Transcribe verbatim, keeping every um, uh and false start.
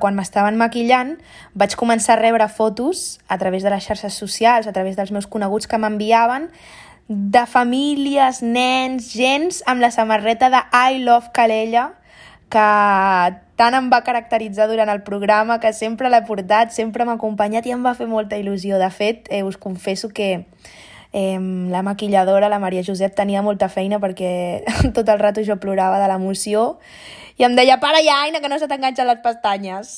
Quan m'estaven maquillant vaig començar a rebre fotos a través de les xarxes socials, a través dels meus coneguts que m'enviaven, de famílies, nens, gens amb la samarreta de I Love Calella, que tant em va caracteritzar durant el programa, que sempre l'he portat, sempre m'ha acompanyat i em va fer molta il·lusió. De fet, eh, us confesso que eh, la maquilladora, la Maria Josep, tenia molta feina perquè tot el rato jo plorava de l'emoció i em deia, para ja, Aina, que no se t'enganxen les pestanyes.